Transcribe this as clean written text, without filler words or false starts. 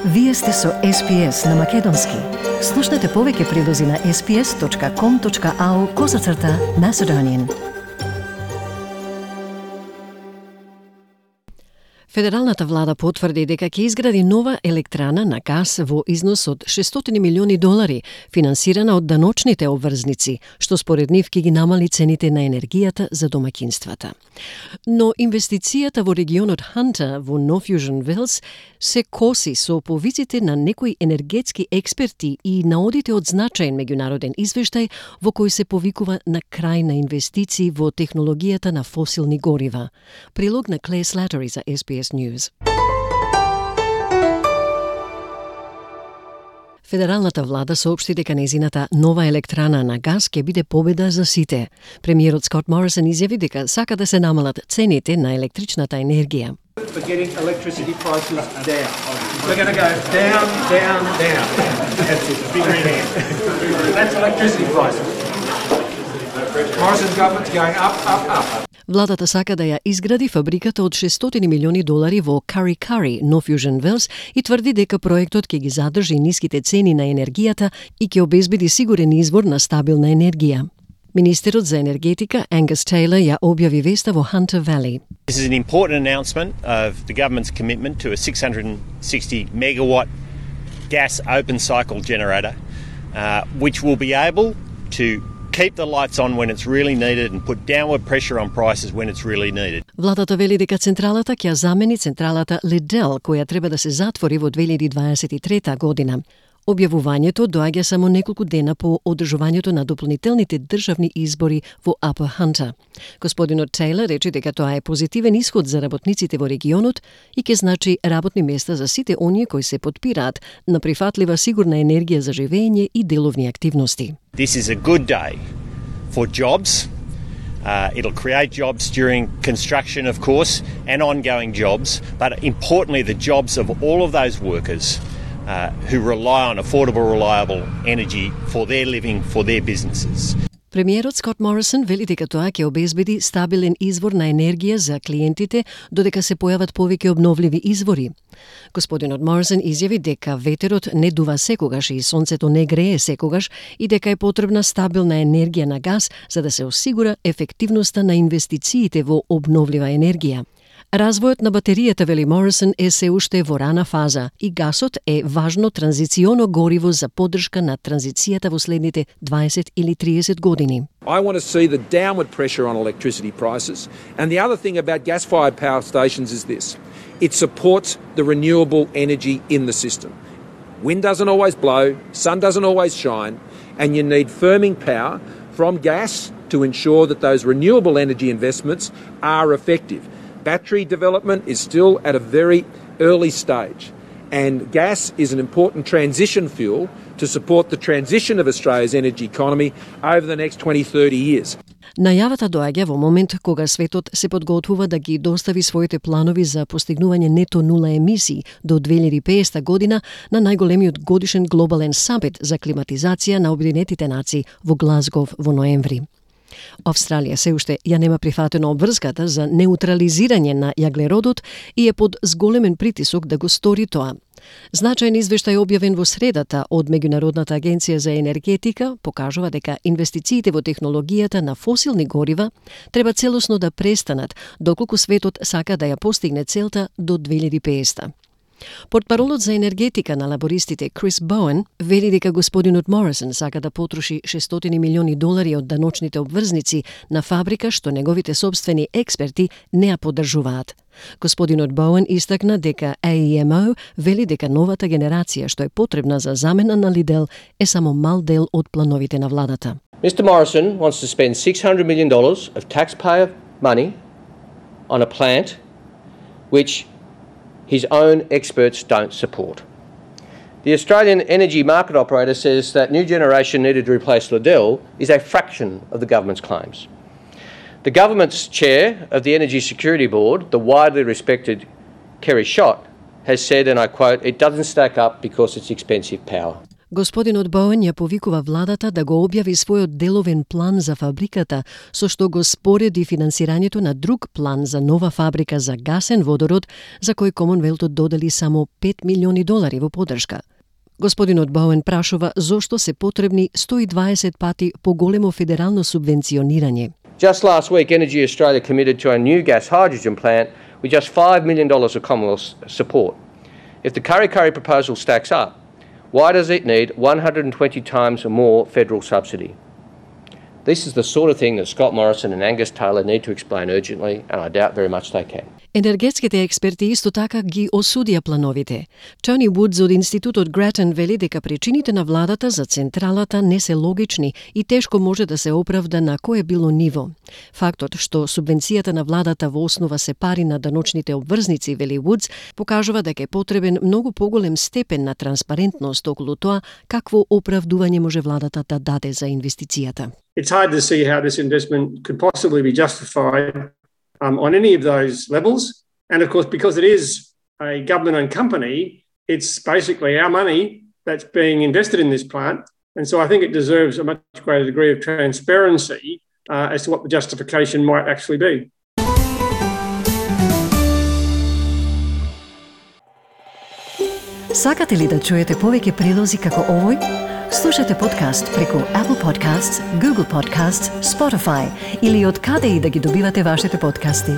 Вие сте со SPS на Македонски. Слушнете повеќе прилози на sps.com.au/Macedonian. Федералната влада потврди дека ќе изгради нова електрана на газ во износ од $600 милиони, финансирана од даночните обврзници, што според нив ќе ги намали цените на енергијата за домаќинствата. Но инвестицијата во регионот Ханта во North Wales се коси со повиците на некои енергетски експерти и наодите од значаен меѓународен извештај во кој се повикува на крај на инвестиции во технологијата на фосилни горива. Прилог на Claire Slattery за SBS News. Федералната влада соопшти дека незината нова електрана на газ ќе биде победа за сите. Премиерот Скот Морисон изјави дека сака да се намалат цените на електричната енергија. For getting electricity prices down. We're going to go down, down, down. That's it, big red hand. That's electricity prices. Morrison's government's going up, up, up. Владата сака да ја изгради фабриката од $600 милиони во Kurri, North Wales, и тврди дека проектот ќе ги задржи ниските цени на енергијата и ќе обезбеди сигурен извор на стабилна енергија. Министерот за енергетика Angus Taylor ја објави веста во Hunter Valley. This is an important announcement of the government's commitment to a 660 megawatt gas open cycle generator, which will be able to keep the lights on when it's really needed and put downward pressure on prices when it's really needed. Владата вели дека централата ќе замени централата Liddell, која треба да се затвори во 2023 година. Објавувањето доаѓа само неколку дена по одржувањето на дополнителните државни избори во Upper Hunter. Господинот Тейлор рече дека тоа е позитивен исход за работниците во регионот и ќе значи работни места за сите оние кои се потпираат на прифатлива сигурна енергија за живење и деловни активности. This is a good day for jobs. It'll create jobs during construction, of course, and ongoing jobs, but importantly the jobs of all of those workers who rely on affordable, reliable energy for their living, for their businesses. Премиерот Скот Морисон вели дека тоа ќе обезбеди стабилен извор на енергија за клиентите додека се појават повеќе обновливи извори. Господинот Морисон изјави дека ветерот не дува секогаш и сонцето не грее секогаш и дека е потребна стабилна енергија на газ за да се осигура ефективноста на инвестициите во обновлива енергија. Развојот на батеријата, вели Морисон, е се уште во рана фаза и гасот е важно транзиционо гориво за поддршка на транзицијата во следните 20 или 30 години. I want to see the downward pressure on electricity prices. And the other thing about gas-fired power stations is this. It supports the renewable energy in the system. Wind doesn't always blow, sun doesn't always shine, and you need firming power from gas to ensure that those renewable energy investments are effective. Battery development is still at a very early stage, and gas is an important transition fuel to support the transition of Australia's energy economy over the next 20-30 years. Најавата доаѓа во момент кога светот се подготвува да ги достави своите планови за постигнување нето нула емисии до 2050 година на најголемиот годишен глобален самит за климатизација на Обединетите нации во Глазгов во ноември. Австралија се уште ја нема прифатено обврската за неутрализирање на јаглеродот и е под зголемен притисок да го стори тоа. Значаен извештај објавен во средата од Меѓународната агенција за енергетика покажува дека инвестициите во технологијата на фосилни горива треба целосно да престанат доколку светот сака да ја постигне целта до 2050. Портпаролот за енергетика на лабористите Крис Боуен вели дека господинот Морисон сака да потроши $600 милиони од даночните обврзници на фабрика што неговите собствени експерти не ја поддржуваат. Господинот Боуен истакна дека AEMO вели дека новата генерација што е потребна за замена на Liddell е само мал дел од плановите на владата. Mr. Morrison wants to spend $600 million of taxpayer money on a plant which his own experts don't support. The Australian Energy Market Operator says that new generation needed to replace Liddell is a fraction of the government's claims. The government's chair of the Energy Security Board, the widely respected Kerry Schott, has said, and I quote, "It doesn't stack up because it's expensive power." Господинот Боуен ја повикува владата да го објави својот деловен план за фабриката, со што го спореди финансирањето на друг план за нова фабрика за гасен водород, за кој Комонвелтот додели само $5 милиони во поддршка. Господинот Боуен прашува зошто се потребни 120 пати поголемо федерално субвенционирање. Just last week, Energy Australia committed to a new gas hydrogen plant with just $5 million of Commonwealth support. If the Kurri proposal stacks up, why does it need 120 times more federal subsidy? This is the sort of thing that Scott Morrison and Angus Taylor need to explain urgently, and I doubt very much they can. Енергетските експерти исто така ги осудија плановите. Тони Вудс од Институтот Гратен вели дека причините на владата за централата не се логични и тешко може да се оправда на кое било ниво. Фактот што субвенцијата на владата во основа се пари на даночните обврзници, вели Вудс, покажува дека е потребен многу поголем степен на транспарентност околу тоа какво оправдување може владата да даде за инвестицијата. It's hard to see how this investment could possibly be justified on any of those levels. And of course, because it is a government-owned company, it's basically our money that's being invested in this plant. And so I think it deserves a much greater degree of transparency as to what the justification might actually be. Сакате ли да чуете повеќе прилози како овој? Слушате подкаст преку Apple Podcasts, Google Podcasts, Spotify или од каде и да ги добивате вашите подкасти.